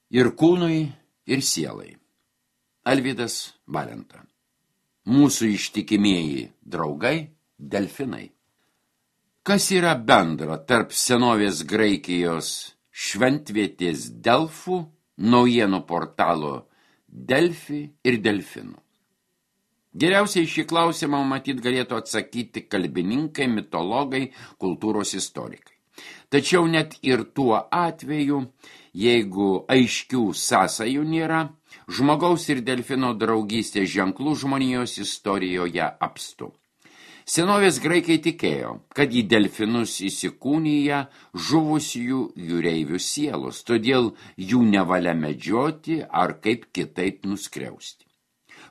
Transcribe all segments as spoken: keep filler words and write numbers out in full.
Ir kūnui, ir sielai. Alvydas Valenta. Mūsų ištikimieji draugai – delfinai. Kas yra bendra tarp senovės Graikijos šventvietės Delfų, naujienų portalo Delfi ir delfinų? Geriausiai šį klausimą matyt galėtų atsakyti kalbininkai, mitologai, kultūros istorikai. Tačiau net ir tuo atveju, jeigu aiškių sąsajų nėra, žmogaus ir delfino draugystės ženklų žmonijos istorijoje apstu. Senovės graikai tikėjo, kad į delfinus įsikūnyja žuvusių jūreivių sielos, todėl jų nevalia medžioti ar kaip kitaip nuskriausti.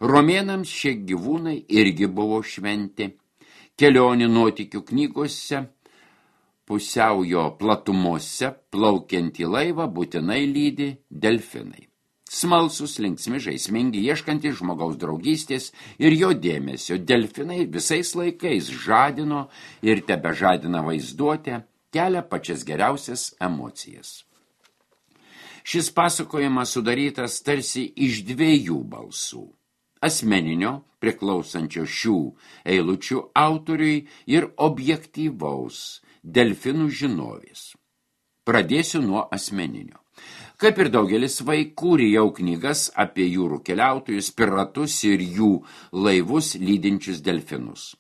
Romėnams šie gyvūnai irgi buvo šventi. Kelionių nuotykių knygose, pusiaujo platumose, plaukiantį laivą būtinai lydi delfinai. Smalsus, linksmi, žaismingi, ieškantys žmogaus draugystės ir jo dėmesio, delfinai visais laikais žadino ir tebežadina vaizduotę, kelia pačias geriausias emocijas. Šis pasakojimas sudarytas tarsi iš dviejų balsų. Asmeninio, priklausančio šių eilučių autoriui ir objektyvaus delfinų žinovės. Pradėsiu nuo asmeninio. Kaip ir daugelis vaikų, rijau knygas apie jūrų keliautojus, piratus ir jų laivus lydinčius delfinus.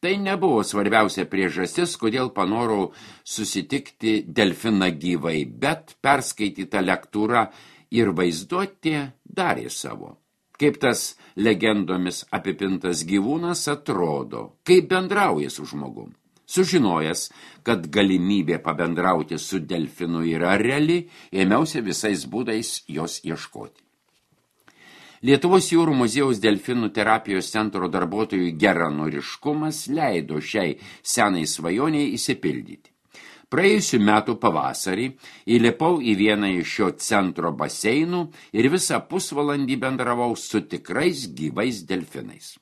Tai nebuvo svarbiausia priežastis, kodėl panorau susitikti delfiną gyvai, bet perskaityta lektūra ir vaizduotė darė savo. Kaip tas legendomis apipintas gyvūnas atrodo, kaip bendrauja su žmogum. Sužinojęs, kad galimybė pabendrauti su delfinu yra reali, ėmiausi visais būdais jos ieškoti. Lietuvos jūrų muziejaus delfinų terapijos centro darbuotojų geranoriškumas leido šiai senai svajoniai įsipildyti. Praėjusių metų pavasarį įlipau į vieną iš šio centro baseinų ir visą pusvalandį bendravau su tikrais gyvais delfinais.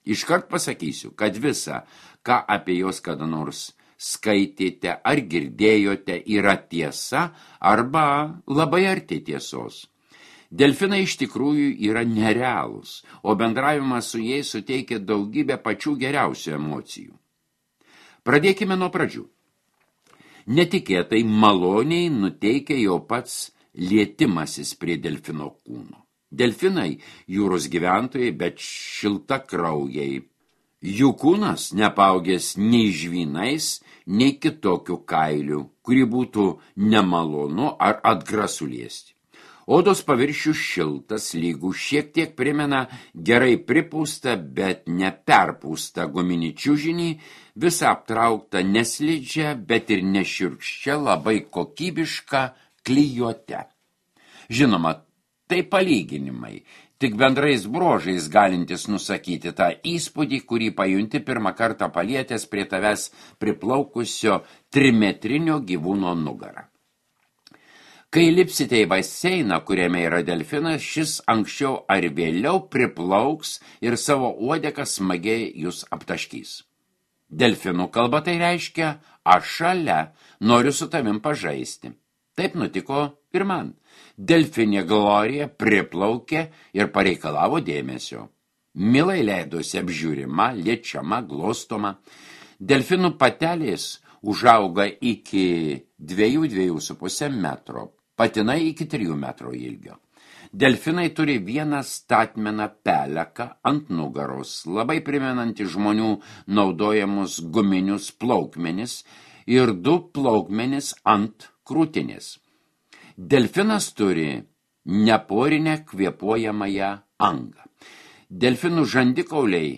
Iškart pasakysiu, kad visa, ką apie jos kada nors skaitėte ar girdėjote, yra tiesa arba labai arti tiesos. Delfinai iš tikrųjų yra nerealūs, o bendravimas su jais suteikia daugybę pačių geriausių emocijų. Pradėkime nuo pradžių. Netikėtai maloniai nuteikia jo pats lietimasis prie delfino kūno. Delfinai jūros gyventojai, bet šiltakraujai. Jų kūnas nepaugęs nei žvynais, nei kitokių kailių, kurį būtų nemalonu ar atgrasu liesti. Odos paviršius šiltas, lygų šiek tiek primena gerai pripūstą, bet neperpūstą guminį čiužinį, visą aptrauktą neslidžią, bet ir nešiurkščią, labai kokybišką klijuotę. Žinoma, tai palyginimai, tik bendrais bruožais galintis nusakyti tą įspūdį, kurį pajunti pirmą kartą palietęs prie tavęs priplaukusio trimetrinio gyvūno nugarą. Kai lipsite į baseiną, kuriame yra delfinas, šis anksčiau ar vėliau priplauks ir savo uodegą smagiai jūs aptaškys. Delfinų kalba tai reiškia, aš šalia, noriu su tavim pažaisti. Taip nutiko ir man. Delfinė Glorija priplaukė ir pareikalavo dėmesio. Milai leidosi apžiūrima, liečiama, glostoma. Delfinų patelės užauga iki dviejų, dviejų su pusė metro. Patinai iki trijų metrų ilgio. Delfinai turi vieną statmeną peleką ant nugaros, labai primenantį žmonių naudojamus guminius plaukmenis ir du plaukmenis ant krūtinės. Delfinas turi neporinę kvėpuojamąją angą. Delfinų žandikauliai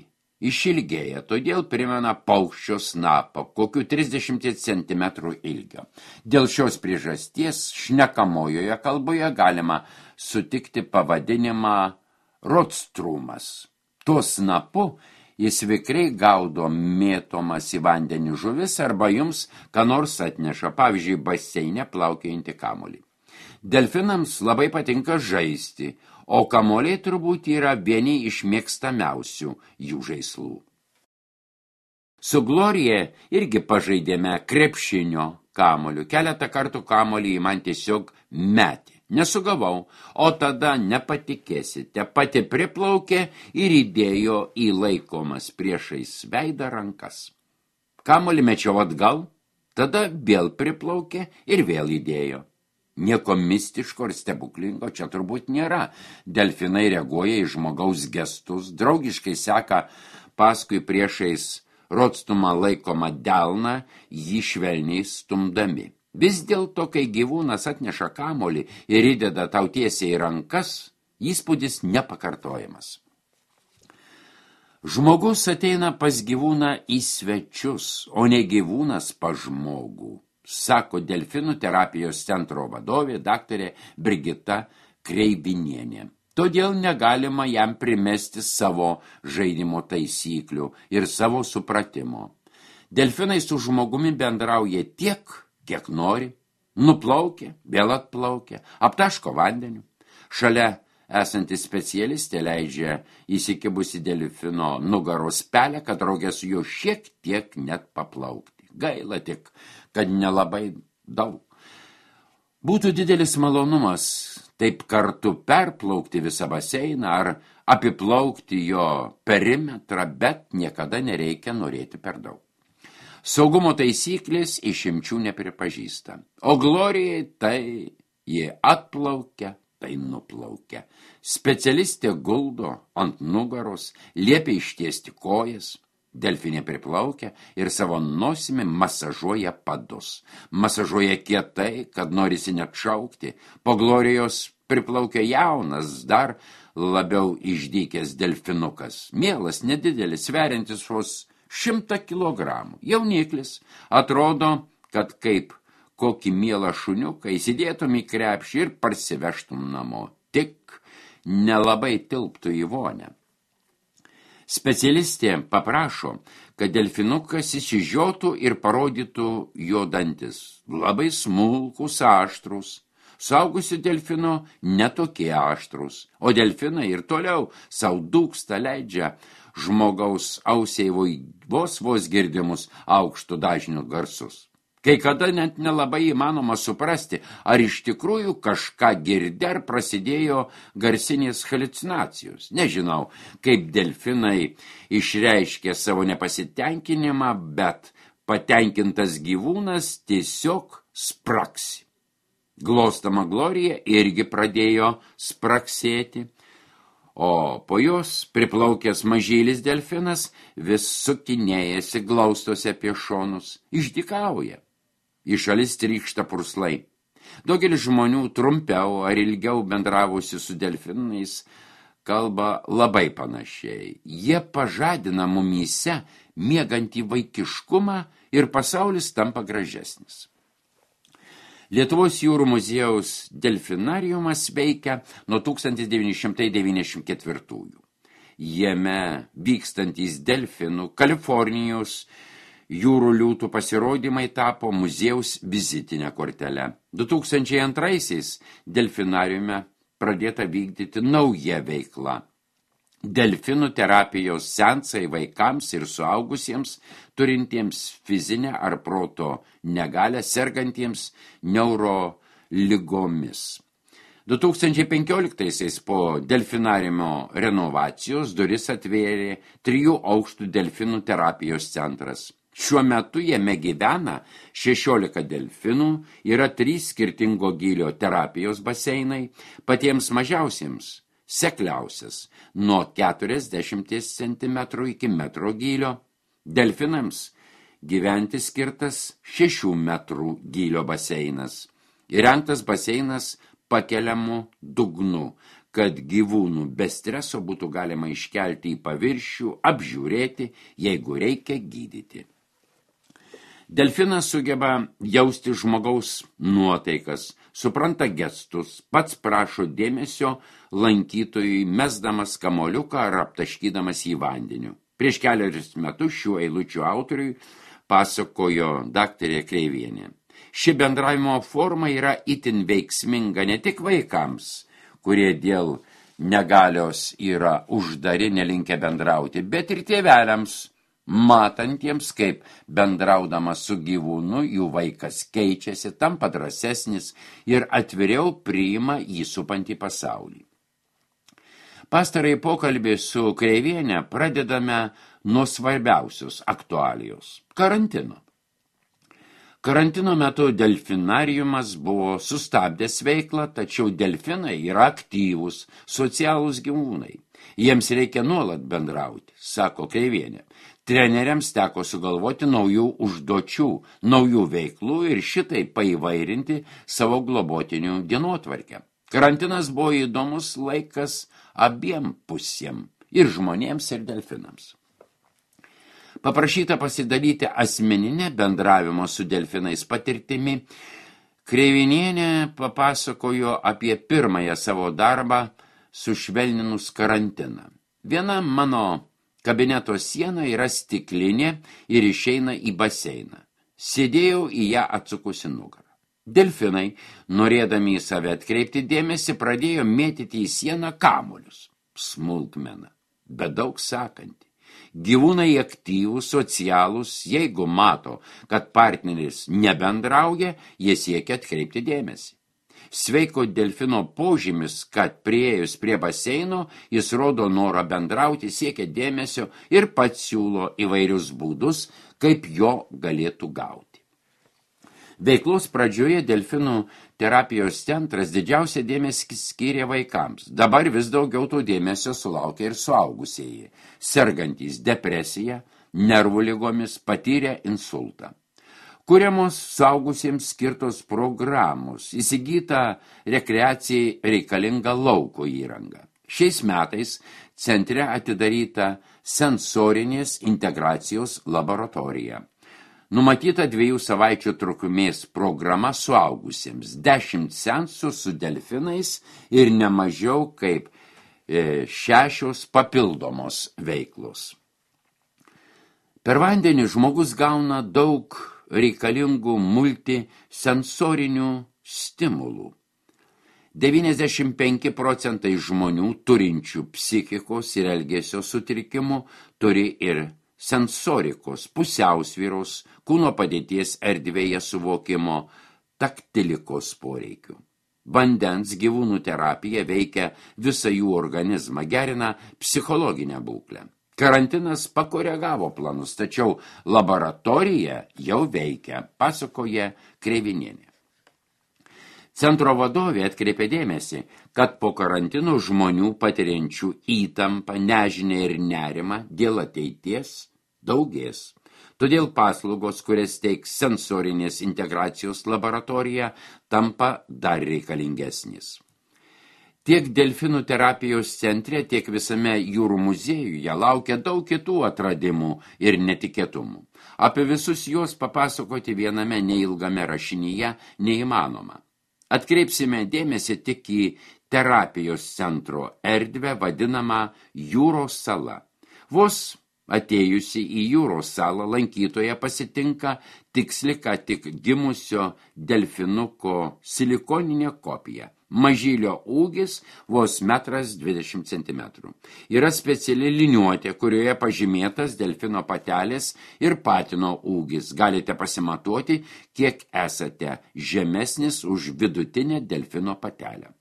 išilgėja, todėl primena paukščio snapą, kokių trisdešimt centimetrų ilgio. Dėl šios priežasties šnekamojoje kalboje galima sutikti pavadinimą rotstrumas. Tuo snapu jis vikriai gaudo mėtomas į vandenį žuvis arba jums ką nors atneša, pavyzdžiui, baseine plaukiojantį kamuolį. Delfinams labai patinka žaisti, o kamuoliai turbūt yra vieni iš mėgstamiausių jų žaislų. Su Glorija irgi pažaidėme krepšinio kamuoliu. Keletą kartų kamuolį man tiesiog metė. Nesugavau, o tada nepatikėsite, pati priplaukė ir įdėjo į laikomas priešais veidą rankas. Kamuolį mečiau atgal, tada vėl priplaukė ir vėl įdėjo. Nieko mistiško ir stebuklingo čia turbūt nėra. Delfinai reaguoja į žmogaus gestus, draugiškai seka paskui priešais rodstumą laikomą delną, jį švelniai stumdami. Vis dėlto, kai gyvūnas atneša kamuolį ir įdeda tau tiesiai į rankas, įspūdis nepakartojamas. Žmogus ateina pas gyvūną į svečius, o ne gyvūnas pas žmogų, sako delfinų terapijos centro vadovė daktarė Brigita Kreivinienė. Todėl negalima jam primesti savo žaidimo taisyklių ir savo supratimo. Delfinai su žmogumi bendrauja tiek, kiek nori, nuplaukia, vėl atplaukia, aptaško vandeniu. Šalia esanti specialistė leidžia įsikibusi delfino nugaros pelę, kad draugė su juo šiek tiek net paplaukti. Gaila tik, kad nelabai daug. Būtų didelis malonumas taip kartu perplaukti visą baseiną ar apiplaukti jo perimetrą, bet niekada nereikia norėti per daug. Saugumo taisyklės išimčių nepripažįsta, o Glorijai tai jie atplaukia, tai nuplaukia. Specialistė guldo ant nugaros, liepia ištiesti kojas, delfinė priplaukia ir savo nosimi masažuoja padus. Masažuoja kietai, kad norisi net šaukti. Po Glorijos priplaukia jaunas, dar labiau išdykęs delfinukas. Mielas, nedidelis, sveriantis vos šimtą kilogramų. Jauniklis atrodo, kad kaip kokį mielą šuniuką įsidėtum į krepšį ir parsivežtum namo. Tik nelabai tilptų į vonę. Specialistė paprašo, kad delfinukas įsižiotų ir parodytų jo dantis. Labai smulkus, aštrus. Suaugusių delfinų netokie aštrus, o delfinai ir toliau sau dūksta leidžia žmogaus ausiai vos vos girdimus aukštų dažnių garsus. Kai kada net nelabai įmanoma suprasti, ar iš tikrųjų kažką girdė, ar prasidėjo garsinės haliucinacijos. Nežinau, kaip delfinai išreiškė savo nepasitenkinimą, bet patenkintas gyvūnas tiesiog spraksi. Glostama Glorija irgi pradėjo spraksėti, o po jos priplaukęs mažylis delfinas vis sukinėjasi, glaustosi apie šonus, išdykauja. Į šalis trykšta purslai. Daugelis žmonių trumpiau ar ilgiau bendravusi su delfinais kalba labai panašiai. Jie pažadina mumyse miegantį vaikiškumą ir pasaulis tampa gražesnis. Lietuvos jūrų muziejaus delfinariumas veikia nuo tūkstantis devyni šimtai devyniasdešimt ketvirtųjų. Jame vykstantys delfinų Kalifornijos jūrų liūtų pasirodymai tapo muziejaus vizitinę kortelę. du tūkstančiai antraisiais delfinariume pradėta vykdyti nauja veikla. Delfinų terapijos seansai vaikams ir suaugusiems, turintiems fizinę ar proto negalią, sergantiems neuroligomis. du tūkstančiai penkioliktaisiais po delfinariumo renovacijos duris atvėrė trijų aukštų delfinų terapijos centras. Šiuo metu jame gyvena šešiolika delfinų, yra trys skirtingo gylio terapijos baseinai, patiems mažiausiems sekliausias nuo keturiasdešimt centimetrų iki metro gylio, delfinams gyventi skirtas šešių metrų gylio baseinas. Įrengtas baseinas pakeliamu dugnu, kad gyvūnų be streso būtų galima iškelti į paviršių, apžiūrėti, jeigu reikia gydyti. Delfinas sugeba jausti žmogaus nuotaikas, supranta gestus, pats prašo dėmesio lankytojui, mesdamas kamoliuką ar aptaškydamas į vandeniu. Prieš keliarius metus šių eilučių autoriui pasakojo daktarė Kreivienė. Ši bendravimo forma yra itin veiksminga ne tik vaikams, kurie dėl negalios yra uždari, nelinkę bendrauti, bet ir tėveliams, matantiems, kaip bendraudamas su gyvūnu jų vaikas keičiasi, tampa drąsesnis ir atviriau priima jį supantį pasaulį. Pastarai pokalbį su Kreiviene pradedame nuo svarbiausios aktualijos – karantino. Karantino metu delfinariumas buvo sustabdęs veiklą, tačiau delfinai yra aktyvūs, socialūs gyvūnai. Jiems reikia nuolat bendrauti, sako Kreivienė. Treneriams teko sugalvoti naujų užduočių, naujų veiklų ir šitai paįvairinti savo globotinių dienotvarkę. Karantinas buvo įdomus laikas abiem pusėm, ir žmonėms, ir delfinams. Paprašyta pasidalyti asmeninę bendravimo su delfinais patirtimi, Kreivinienė papasakojo apie pirmąją savo darbą sušvelninus karantiną. Viena mano kabineto siena yra stiklinė ir išeina į baseiną. Sėdėjau į ją atsukusi nugarą. Delfinai, norėdami į save atkreipti dėmesį, pradėjo mėtyti į sieną kamuolius. Smulkmena, bet daug sakanti. Gyvūnai aktyvūs, socialūs, jeigu mato, kad partneris nebendrauja, jie siekia atkreipti dėmesį. Sveiko delfino požymis, kad priėjus prie baseino, jis rodo norą bendrauti, siekia dėmesio ir pats siūlo įvairius būdus, kaip jo galėtų gauti. Veiklos pradžioje delfinų terapijos centras didžiausia dėmesį skyrė vaikams. Dabar vis daugiau to dėmesio sulaukia ir suaugusieji, sergantys depresiją, nervų ligomis, patyrę insultą. Kuriamos suaugusiems skirtos programos, įsigyta rekreacijai reikalinga lauko įranga. Šiais metais centre atidaryta sensorinės integracijos laboratorija. Numatyta dviejų savaičių trukmės programa suaugusiems, dešimt seansų su delfinais ir nemažiau kaip e, šešios papildomos veiklos. Per vandenį žmogus gauna daug reikalingų multisensorinių stimulų. devyniasdešimt penki procentai žmonių turinčių psichikos ir elgesio sutrikimų turi ir sensorikos, pusiausvyros, kūno padėties erdvėje suvokimo, taktilikos poreikių. Vandens gyvūnų terapija veikia visą jų organizmą, gerina psichologinę būklę. Karantinas pakoregavo planus, tačiau laboratorija jau veikia, pasakoja Kreivinienė. Centro vadovė atkreipė dėmesį, kad po karantino žmonių patiriančių įtampą, nežinę ir nerimą dėl ateities daugės. Todėl paslaugos, kurias teiks sensorinės integracijos laboratorija, tampa dar reikalingesnis. Tiek delfinų terapijos centre, tiek visame jūrų muziejuje laukia daug kitų atradimų ir netikėtumų. Apie visus juos papasakoti viename neilgame rašinyje neįmanoma. Atkreipsime dėmesį tik į terapijos centro erdvę vadinamą jūros sala. Vos atėjusi į jūros salą lankytoja pasitinka tiksli ką tik gimusio delfinuko silikoninė kopija. Mažylio ūgis vos metras dvidešimt centimetrų. Yra speciali liniuotė, kurioje pažymėtas delfino patelės ir patino ūgis. Galite pasimatuoti, kiek esate žemesnis už vidutinę delfino patelę.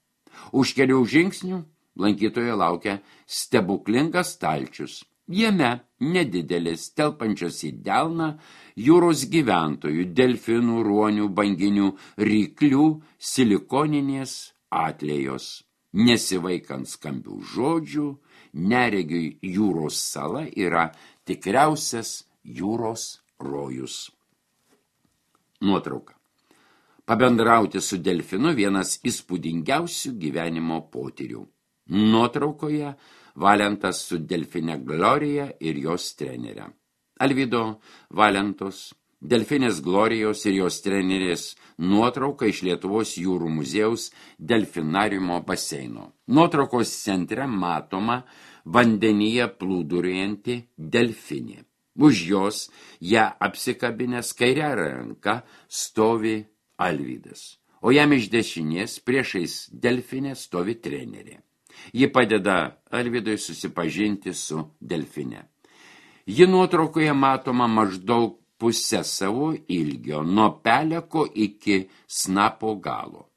Už kelių žingsnių lankytojo laukia stebuklingas stalčius. Jame nedidelis, telpančios į delną, jūros gyventojų, delfinų, ruonių, banginių, ryklių, silikoninės atlėjos. Nesivaikant skambių žodžių, neregiui jūros sala yra tikriausias jūros rojus. Nuotrauka. Pabendrauti su delfinu vienas įspūdingiausių gyvenimo potyrių. Nuotraukoje Valentas su delfine Glorija ir jos trenerė. Alvydo Valentos, delfinės Glorijos ir jos trenerės nuotrauka iš Lietuvos jūrų muziejaus delfinariumo baseino. Nuotraukos centre matoma vandenyje plūduriuojanti delfinė. Už jos ją apsikabinęs kairę ranką stovi Alvydas, o jam iš dešinės priešais delfinė stovi trenerė. Ji padeda Alvydui susipažinti su delfine. Ji nuotraukoje matoma maždaug pusę savo ilgio, nuo peleko iki snapo galo.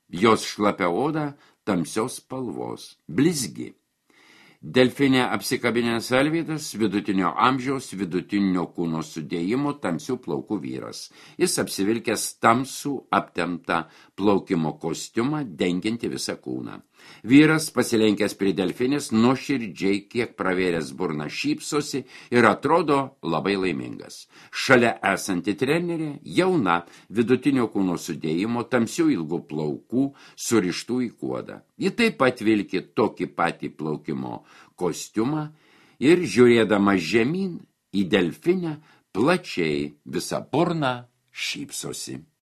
Jos šlapia oda tamsios spalvos, blizgi. Delfinė apsikabinęs Alvydas, vidutinio amžiaus, vidutinio kūno sudėjimo, tamsių plaukų vyras. Jis apsivilkęs tamsų aptemptą plaukimo kostiumą, dengiantį visą kūną. Vyras, pasilenkęs prie delfinės, nuoširdžiai, kiek pravėręs burną, šypsosi ir atrodo labai laimingas. Šalia esanti trenerė, jauna, vidutinio kūno sudėjimo, tamsių ilgų plaukų, surištų į kuodą. Ji taip pat vilki tokį patį plaukimo kostiumą ir, žiūrėdama žemyn į delfinę, plačiai visą burną šypsosi.